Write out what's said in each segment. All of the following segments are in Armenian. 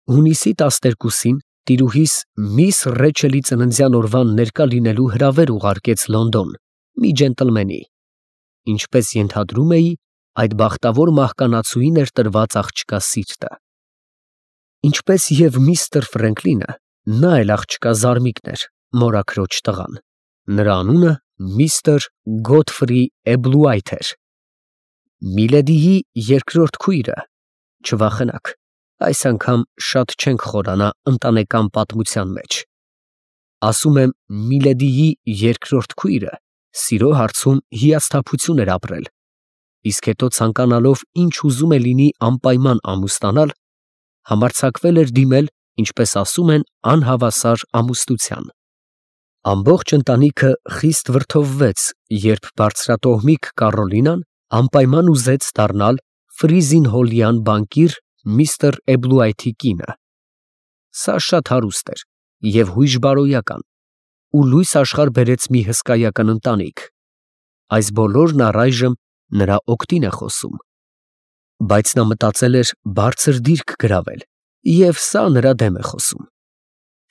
Հունիսի 12-ին տիրուհիս միս Ռեչելի ծննդյան օրվան ներկա լինելու հրավեր ուղարկեց Լոնդոն մի ջենտլմենի, ինչպես ենթադրում էի, այդ բախտավոր մահկանացուին էր տրված աղջկա սիրտը։ Ինչպես և միստր Ֆրենկլինը, նա էլ աղջկա զարմիկն էր, մորաքրոջ տղան, նրա անունը միստր Գոթֆրի Էբլուայթ էր։ Միլեդիի երկրորդ քույրը, չվախենաք, այս անգամ շատ չենք խորանա ընտանեկան պատմության մեջ, ասում եմ Միլեդիի երկրորդ քույրը սիրո հարցում հիասթափություն էր ապրել, իսկ հետո ցանկանալով ինչ ուզում է լինի անպայման ամուսնանալ, համարձակվել էր դիմել, ինչպես ասում են, անհավասար ամուսնության։ Ամբողջ ընտանիքը խիստ վրդովվեց, երբ բարձրատոհմիկ Կարոլինան անպայման ուզեց դառնալ Ֆրիզինհոլյան բանկիր միստր Էբլուայթի կինը։ Սա շատ հարուստ էր և հույժ֊բարոյական ու լույս աշխարհ բերեց մի հսկայական ընտանիք։ Այս բոլորն առայժմ նրա օգտին է խոսում։ Բայց նա մտածել էր բարձր դիրք գրավել, և սա նրա դեմ է խոսում։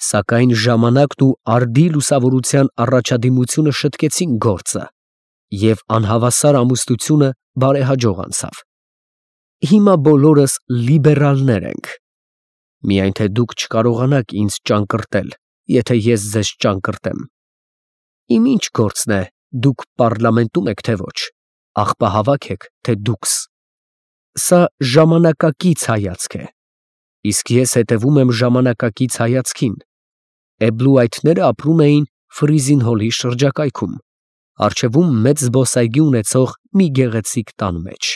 Սակայն ժամանակն ու արդի լուսավորության առաջադիմությունը շտկեցին գործը, և անհավասար ամուսնությունը բարեհաջող անցավ։ Հիմա բոլորս լիբերալներ ենք։ Միայն թե դուք չկարողանաք ինձ ճանկռտել, եթե ես ձեզ ճանկռտեմ։ Իմ ինչ գործն է, դուք պառլամենտում եք, թե ոչ, աղբահավաք եք, թե դուքս։ Սա ժամանակակից հայացք է, իսկ ես հետևում եմ ժամանակակից հայացքին։ Էբլուայթները ապրում էին Ֆրիզինհոլի շրջակայքում, առջևում մեծ զբոսայգի ունեցող մի գեղեցիկ տան մեջ։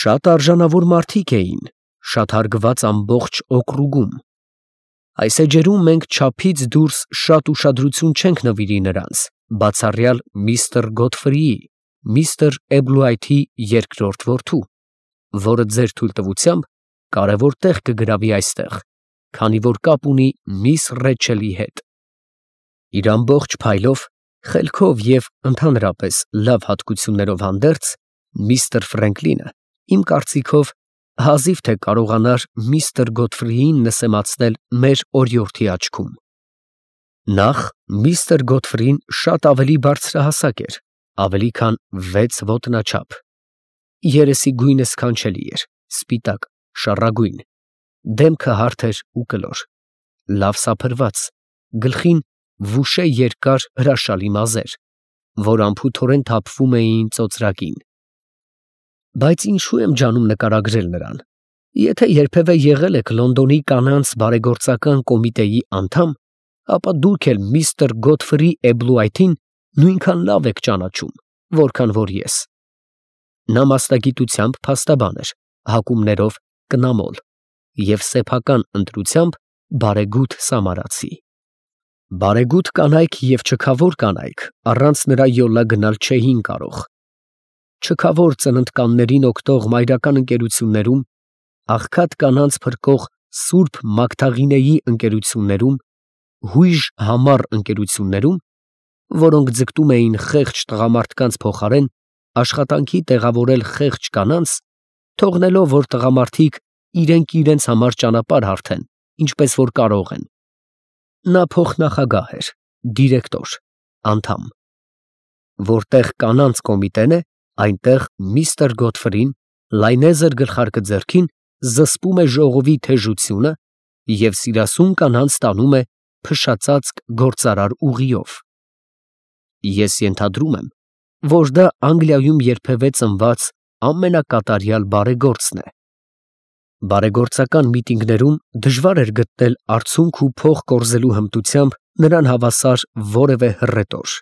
Շատ արժանավոր մարդիկ էին, շատ հարգված ամբողջ օկրուգում։ Այս էջերում մենք չափից դուրս շատ ուշադրություն չենք նվիրի նրանց, բացառյալ միստր Գոթֆրիի, միստր Էբլուայթի երկրորդ որդու, որը ձեր թույլտվությամբ կարևոր տեղ կգրավի այստեղ, քանի որ կապ ունի միս Ռեչելի հետ։ Իր ամբողջ փայլով, խելքով և ընդհանրապես լավ հատկություններով հանդերձ, միստր Ֆրենկլինը, իմ կարծիքով, հազիվ թե կարողանար միստր Գոթֆրիին նսեմացնել մեր օրիորդի աչքում։ Նախ, միստր Գոթֆրին շատ ավելի բարձրահասակ էր, ավելի քան 6 ոտնաչափ։ Երեսի գույնը սքանչելի էր, սպիտակ, շառագույն, դեմքը հարթ էր ու կլոր, լավ սափրված, գլխին վուշե երկար հրաշալի մազեր, որ անփութորեն թափվում էին ծոծրակին։ Բայց ինչու եմ ջանում նկարագրել նրան։ Եթե երբևէ եղել եք Լոնդոնի կանանց բարեգործական կոմիտեի անդամ, ապա դուք էլ միստր Գոթֆրի Էբլուայթին նույնքան լավ եք ճանաչում, որքան որ ես։ Նա մասնագիտությամբ փաստաբան էր, հակումներով կնամոլ և սեփական ընտրությամբ բարեգութ սամարացի։ Բարեգութ կանայք և չքավոր կանայք առանց նրա յոլա գնալ չէին կարող։ Չքավոր ծննդկաններին օգտող մայրական ընկերություններում, աղքատ կանանց փրկող սուրբ Մագդաղինեի ընկերություններում, հույժ համառ ընկերություններում, որոնք ձգտում էին խեղճ տղամարդկանց փոխարեն աշխատանքի տեղավորել խեղճ կանանց, թողնելով, որ տղամարդիկ իրենք իրենց համար ճանապարհ հարթեն, ինչպես որ կարող են։ Նա փոխնախագահ էր, դիրեկտոր, անդամ։ Որտեղ կանանց կոմիտեն է, այնտեղ միստր Գոթֆրին, լայնեզր գլխարկը ձեռքին, զսպում է ժողովի թեժությունը և սիրասուն կանանց տանում է փշածածկ գործարար ուղիով։ Ես ենթադրում եմ, որ դա Անգլիայում երբևէ ծնված ամենակատարյալ բարեգործն է։ Բարեգործական միտինգներում դժվար էր գտնել արցունք ու փող կորզելու հմտությամբ նրան հավասար որևէ հռետոր։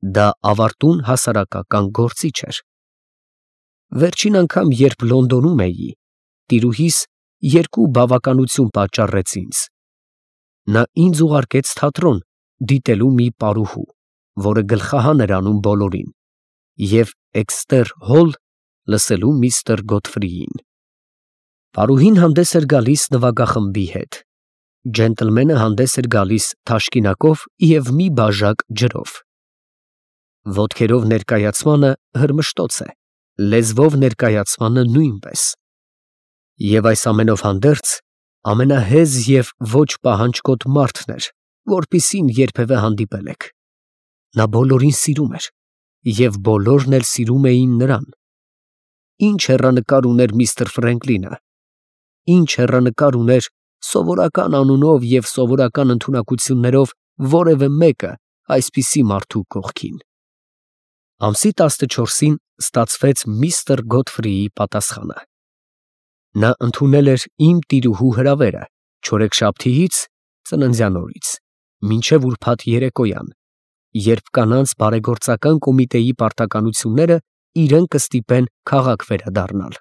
Դա ավարտուն հասարակական գործիչ էր։ Վերջին անգամ, երբ Լոնդոնում էի, տիրուհիս երկու բավականություն պատճառեց ինձ։ Նա ինձ ուղարկեց թատրոն դիտելու մի պարուհու, որը գլխահան էր անում բոլորին, և Էքստեր Հոլ լսելու միստր Գոթֆրիին։ Պարուհին հանդես էր գալիս նվագախմբի հետ, ջենտլմենը հանդես էր գալիս թաշկինակով և մի բաժակ ջրով։ Ոտքերով ներկայացմանը հրմշտոց է, լեզվով ներկայացմանը նույնպես։ Եվ այս ամենով հանդերձ ամենահեզ և ոչ պահանջկոտ մարդն էր, որպիսին երբևէ հանդիպել եք։ Նա բոլորին սիրում էր, և բոլորն էլ սիրում էին նրան։ Ինչ հեռանկար ուներ միստր Ֆրենկլինը, ինչ հեռանկար ուներ սովորական անունով և սովորական ընդունակություններով որևէ մեկը այսպիսի մարդու կողքին։ Ամսի 14-ին ստացվեց միստր Գոթֆրիի պատասխանը։ Նա ընդունել էր իմ տիրուհու հրավերը չորեքշաբթիից (ծննդյան օրից) մինչև ուրբաթ երեկոյան, երբ կանանց բարեգործական կոմիտեի պարտականությունները իրեն կստիպեն քաղաք վերադառնալ։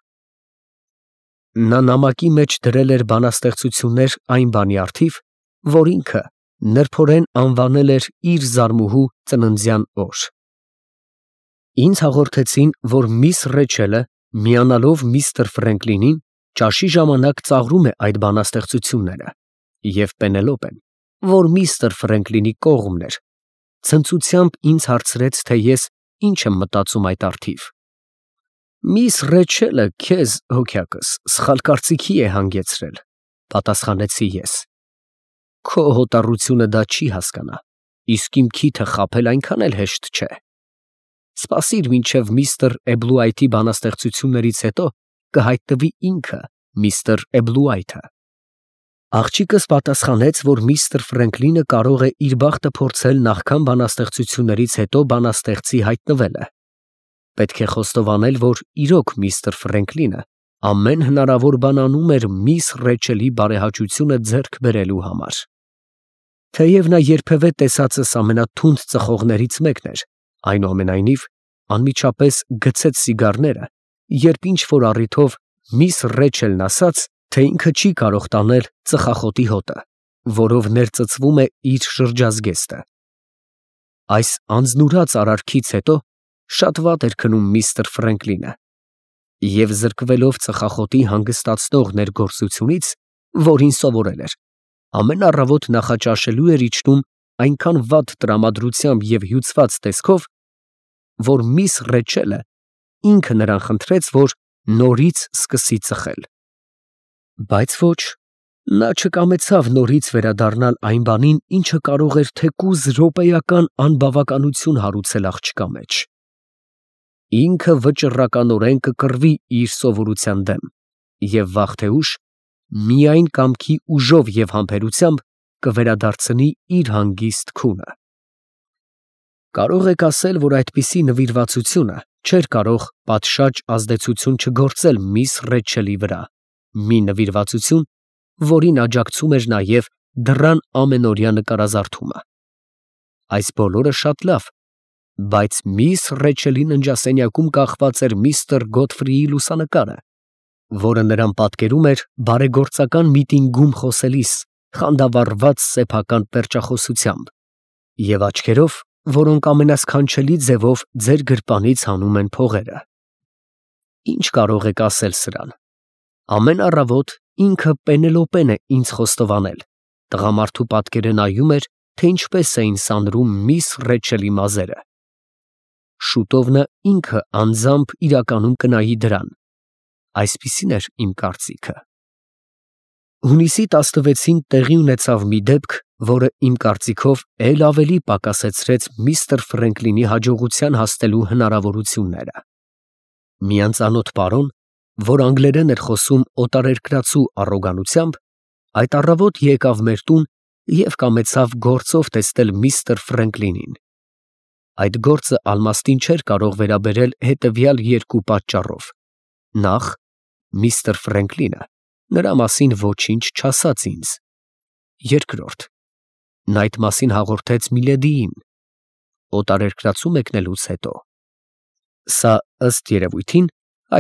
Նա նամակի մեջ դրել էր բանաստեղծություններ այն բանի առթիվ, որ ինքը նրբորեն անվանել էր իր զարմուհու ծննդյան օր։ Ինձ հաղորդեցին, որ միս Ռեչելը, միանալով միստր Ֆրենկլինին, ճաշի ժամանակ ծաղրում է այդ բանաստեղծությունները, և Պենելոպեն, որ միստր Ֆրենկլինի կողմն էր, ցնծությամբ ինձ հարցրեց, թե ես ինչ եմ մտածում այդ առթիվ։ «Միս Ռեչելը քեզ, հոգյակս, սխալ կարծիքի է հանգեցրել», պատասխանեցի ես։ «Քո հոտառությունը դա չի հասկանա, իսկ իմ քիթը խաբել այնքան էլ հեշտ չէ։ Սպասիր մինչև միստր Էբլուայթի բանաստեղծություններից հետո կհայտնվի ինքը, միստր Էբլուայթը»։ Աղջիկս պատասխանեց, որ միստր Ֆրենկլինը կարող է իր բախտը փորձել նախքան բանաստեղծություններից հետո բանաստեղծի հայտնվելը։ Պետք է խոստովանել, որ իրոք միստր Ֆրենկլինը ամեն հնարավոր բան անում էր միս Ռեչելի բարեհաճությունը ձեռք բերելու համար։ Թեև նա երբևէ տեսածս ամենաթունդ ծխողներից մեկն էր, այնուամենայնիվ անմիջապես գցեց սիգարները, երբ ինչ-որ առիթով միս Ռեչելն ասաց, թե ինքը չի կարող տանել ծխախոտի հոտը, որով ներծծվում է իր շրջազգեստը։ Այս անձնուրաց արարքից հետո շատ վատ էր քնում միստր Ֆրենկլինը, և զրկվելով ծխախոտի հանգստացնող ներգործությունից, որին սովորել էր, ամեն առավոտ նախաճաշելու էր իջնում այնքան վատ տրամադրությամբ և հյուծված տեսքով, որ միս Ռեչելը ինքը նրան խնդրեց, որ նորից սկսի ծխել։ Բայց ոչ, նա չկամեցավ նորից վերադառնալ այն բանին, ինչը կարող էր թեկուզ րոպեական անբավականություն հարուցել աղջկա մեջ։ Ինքը վճռականորեն կկռվի իր սովորության դեմ և վաղ թե ուշ միայն կամքի ուժով և համբերությամբ կվերադարձնի իր հանգիստ քունը։ Կարող եք ասել, որ այդպիսի նվիրվածությունը չէր կարող պատշաճ ազդեցություն չգործել միս Ռեչելի վրա, մի նվիրվածություն, որին աջակցում էր նաև դռան ամենօրյա նկարազարդումը։ Այս բոլորը շատ լավ, բայց միս Ռեչելի ննջասենյակում կախված էր միստր Գոթֆրիի լուսանկարը, որը նրան պատկերում էր բարեգործական միտինգում խոսելիս խանդավառված սեփական պերճախոսությամբ և աչքերով, որոնք ամենասքանչելի ձևով ձեր գրպանից հանում են փողերը։ Ինչ կարող եք ասել սրան։ Ամեն առավոտ ինքը Պենելոպեն է ինձ խոստովանել, տղամարդու պատկերը նայում էր, թե ինչպես էին սանրում միս Ռեչելի մազերը։ Շուտով նա ինքը անձամբ իրականում կնայի դրան։ Այսպիսին էր իմ կարծիքը։ Հունիսի 16-ին տեղի ունեցավ մի դեպք, որը իմ կարծիքով էլ ավելի պակասեցրեց միստր Ֆրենկլինի հաջողության հասնելու հնարավորությունները։ Մի անծանոթ պարոն, որ անգլերեն էր խոսում օտարերկրացու առոգանությամբ, այդ առավոտ եկավ մեր տուն և կամեցավ գործով տեսնել միստր Ֆրենկլինին։ Այդ գործը ալմաստին չէր կարող վերաբերել հետևյալ երկու պատճառով. նախ, միստր Ֆրենկլինը նրա մասին ոչինչ չասաց ինձ. երկրորդ, նա այդ մասին հաղորդեց Միլեդիին, օտարերկրացու մեկնելուց հետո։ Սա, ըստ երևույթին,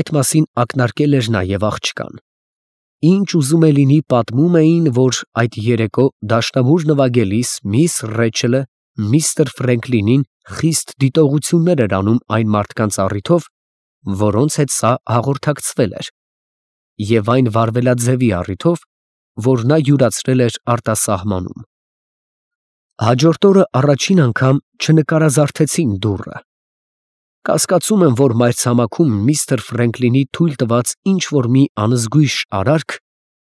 այդ մասին ակնարկել էր նաև աղջկան։ Ինչ ուզում է լինի, պատմում էին, որ այդ երեկո դաշնամուր նվագելիս միս Ռեչելը միստր Ֆրենկլինին խիստ դիտողություններ էր անում այն մարդկանց առիթով, որոնց հետ սա հաղորդակցվել էր, և այն վարվելաձևի առիթով, որ նա յուրացրել էր արտասահմանում։ Հաջորդ օրը առաջին անգամ չնկարազարդեցին դուռը։ Կասկածում եմ, որ մայրցամաքում միստր Ֆրենկլինի թույլ տված ինչ֊որ մի անզգույշ արարք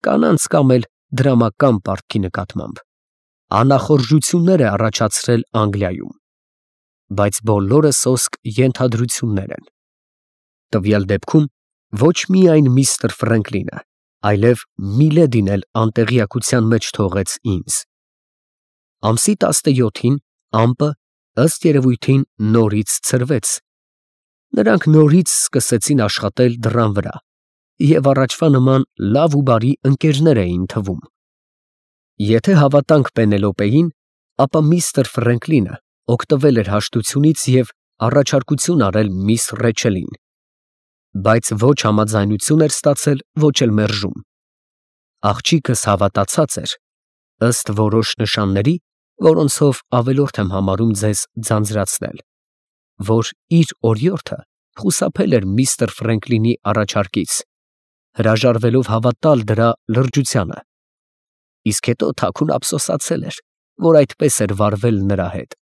կանանց կամ էլ դրամական պարտքի նկատմամբ, անախորժություններ է առաջացրել Անգլիայում, բայց բոլորը սոսկ ենթադրություններ են։ Տվյալ դեպքում ոչ միայն միստր Ֆրենկլինը, այլև Միլեդին էլ անտեղյակության մեջ թողեց ինձ։ Ամսի 17-ին ամպը ըստ երևույթին նորից ցրվեց։ Նրանք նորից սկսեցին աշխատել դռան վրա և առաջվա նման լավ ու բարի ընկերներ էին թվում։ Եթե հավատանք Պենելոպեին, ապա միստր Ֆրենկլինը օգտվել էր հաշտությունից և առաջարկություն արել միս Ռեչելին, բայց ոչ համաձայնություն էր ստացել, ոչ էլ մերժում։ Աղջիկս հավատացած էր, ըստ որոշ նշանների, որոնցով ավելորդ եմ համարում ձեզ ձանձրացնել, որ իր օրիորդը խուսափել էր միստր Ֆրենկլինի առաջարկից, հրաժարվելով հավատալ դրա լրջությանը, իսկ հետո թաքուն ափսոսացել էր, որ այդպես էր վարվել նրա հետ։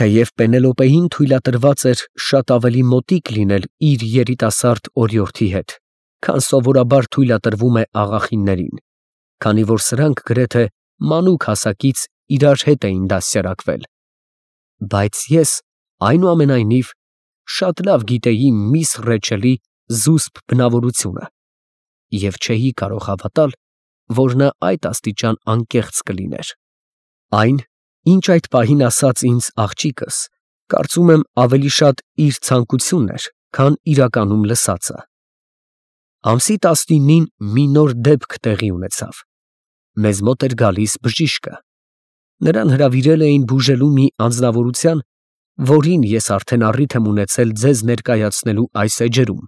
Թեև Պենելոպեին թույլատրված էր շատ ավելի մոտիկ լինել իր երիտասարդ օրիորդի հետ, քան սովորաբար թույլատրվում է աղախիններին, քանի որ սրանք գրեթե մանուկ հասակից իրար հետ էին դաստիարակվել, բայց ես, այնուամենայնիվ, շատ լավ գիտեի միս Ռեչելի զուսպ բնավորությունը և չէի կարող հավատալ, որ նա այդ աստիճան անկեղծ կլիներ։ Այն, ինչ այդ պահին ասաց ինձ աղջիկս, կարծում եմ ավելի շատ իր ցանկությունն էր, քան իրականում լսածը։ Ամսի 19-ին մի նոր դեպք տեղի ունեցավ։ Մեզ մոտ էր գալիս բժիշկը։ Նրան հրավիրել էին բուժելու մի անձնավորության, որին ես արդեն առիթ եմ ունեցել ձեզ ներկայացնելու այս էջերում,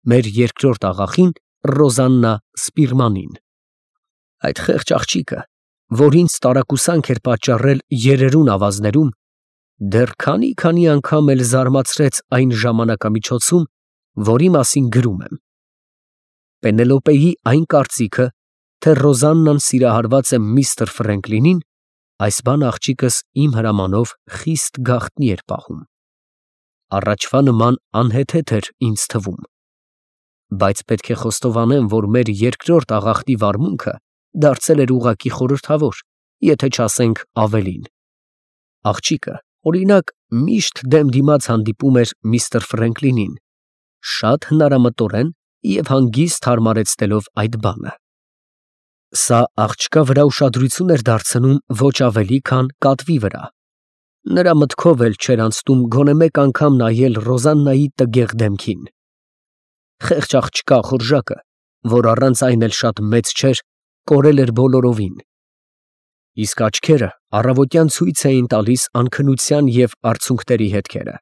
մեր երկրորդ աղախին Ռոզաննա Սպիրմանին։ Այդ խեղճ աղջիկը, որ ինձ տարակուսանք էր պատճառել երերուն ավազներում, դեռ քանի անգամ էլ զարմացրեց այն ժամանակամիջոցում, որի մասին գրում եմ։ Պենելոպեի այն կարծիքը, թե Ռոզաննան սիրահարված է միստր Ֆրենկլինին, այս բան աղջիկս իմ հրամանով խիստ գաղտնի էր պահում։ Առաջվա նման անհեթեթ էր ինձ թվում, բայց պետք է խոստովանեմ, որ մեր երկրորդ աղախնի վարմունքը դարձել էր ուղղակի խորհրդավոր, եթե չասենք ավելին։ Աղջիկը, օրինակ, միշտ դեմ դիմաց հանդիպում էր միստր Ֆրենկլինին, շատ հնարամտորեն և հանգիստ հարմարեցնելով այդ բանը։ Սա աղջկա վրա ուշադրություն էր դարձնում ոչ ավելի, քան կատվի վրա։ Նրա մտքով էլ չէր անցնում գոնե մեկ անգամ նայել Ռոզաննայի տգեղ դեմքին։ Խեղճ աղջկա խորժակը, որ առանց այն էլ շատ մեծ չէր, կորել էր բոլորովին, իսկ աչքերը առավոտյան ցույց էին տալիս անքնության և արցունքների հետքերը։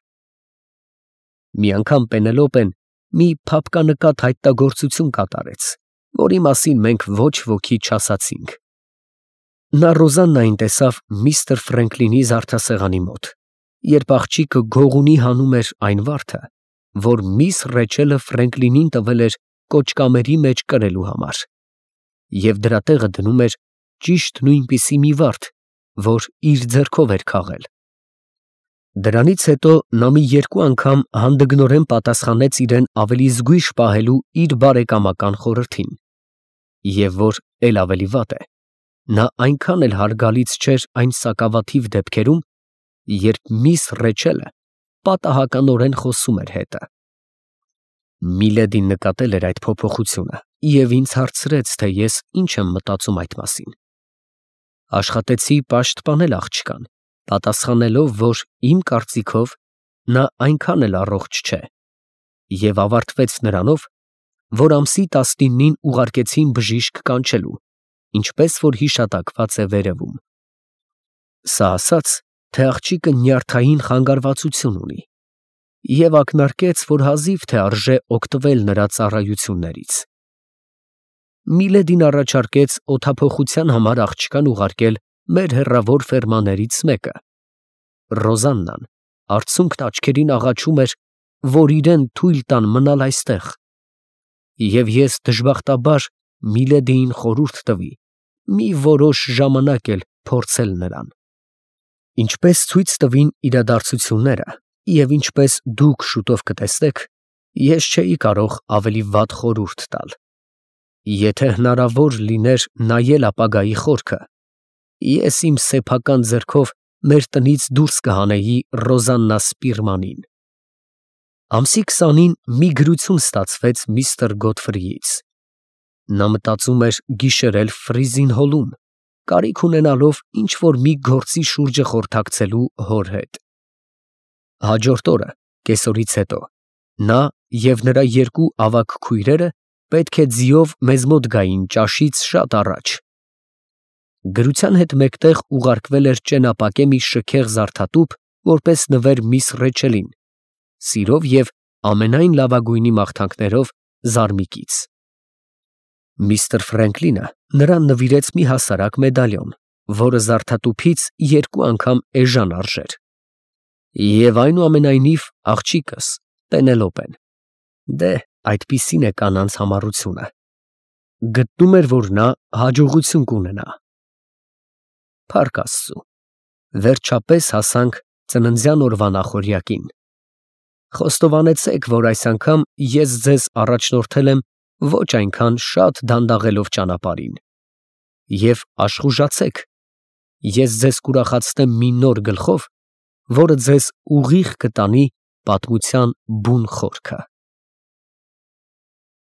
Մի անգամ Պենելոպեն մի փափկանկատ հայտնագործություն կատարեց, որի մասին մենք ոչ ոքի չասացինք։ Նա Ռոզաննային տեսավ միստր Ֆրենկլինի զարդասեղանի մոտ, երբ աղջիկը գողունի հանում էր այն վարդը, որ միս Ռեչելը Ֆրենկլինին տվել էր կոճկամերի մեջ կրելու համար, և դրա տեղը դնում էր ճիշտ նույնպիսի մի վարդ, որ իր ձեռքով էր քաղել։ Դրանից հետո նա մի երկու անգամ հանդգնորեն պատասխանեց իրեն ավելի զգույշ պահելու իր բարեկամական խորհրդին, և որ էլ ավելի վատ է, նա այնքան էլ հարգալից չէր այն սակավաթիվ դեպքերում, երբ միս Ռեչելը պատահականորեն խոսում էր հետը։ Միլեդին նկատել էր այդ փոփոխությունը և ինձ հարցրեց, թե ես ինչ եմ մտածում այդ մասին։ Աշխատեցի պաշտպանել աղջկան, պատասխանելով, որ իմ կարծիքով նա այնքան էլ առողջ չէ, և ավարտվեց նրանով, որ ամսի 19-ին ուղարկեցին բժիշկ կանչելու, ինչպես որ հիշատակված է վերևում։ Սա ասաց, թե աղջիկը նյարդային խանգարվածություն ունի, և ակնարկեց, որ հազիվ թե արժե օգտվել նրա ծառայություններից։ Միլեդին առաջարկեց օդափոխության համար աղջկան ուղարկել մեր հեռավոր ֆերմաներից մեկը։ Ռոզաննան արցունքն աչքերին աղաչում էր, որ իրեն թույլ տան մնալ այստեղ, և ես դժբախտաբար Միլեդիին խորհուրդ տվի մի որոշ ժամանակ էլ փորձել նրան։ Ինչպես ցույց տվին իրադարձությունները, և ինչպես դուք շուտով կտեսնեք, ես չէի կարող ավելի վատ խորհուրդ տալ։ Եթե հնարավոր լիներ նայել ապագայի խորքը, ես իմ սեփական ձեռքով մեր տնից դուրս կհանեի Ռոզաննա Սպիրմանին։ Ամսի 20-ին մի գրություն ստացվեց միստր Գոթֆրիից։ Նա մտածում էր գիշերել Ֆրիզին հոլում, կարիք ունենալով ինչ-որ մի գործի շուրջը խորհրդակցելու հոր հետ։ Հաջորդ օրը, կեսօրից հետո, նա և նրա երկու ավագ քույրերը պետք է ձիով մեզ մոտ գային ճաշից շատ առաջ։ Գրության հետ մեկտեղ ուղարկվել էր ճենապակե մի շքեղ զարդատուփ, որպես նվեր միս Ռեչելին, սիրով և ամենայն լավագույնի մաղթանքներով Զարմիկից։ Միսթր Ֆրենկլինը նրան նվիրեց մի հասարակ մեդալիոն, որը զարդատուփից 2 անգամ էժան արժեր։ Եվ այնուամենայնիվ աղջիկս, Պենելոպեն, դե, այդպիսին է կանանց համառությունը, գտնում էր, որ նա հաջողություն կունենա։ Փառք Աստծու, վերջապես հասանք ծննդյան օրվա նախօրյակին։ Խոստովանեցեք, որ այս անգամ ես ձեզ առաջնորդել եմ ոչ այնքան շատ դանդաղելով ճանապարհին, և աշխուժացեք, ես ձեզ կուրախացնեմ մի նոր գլխով, որը ձեզ ուղիղ կտանի պատմության բուն խորքը։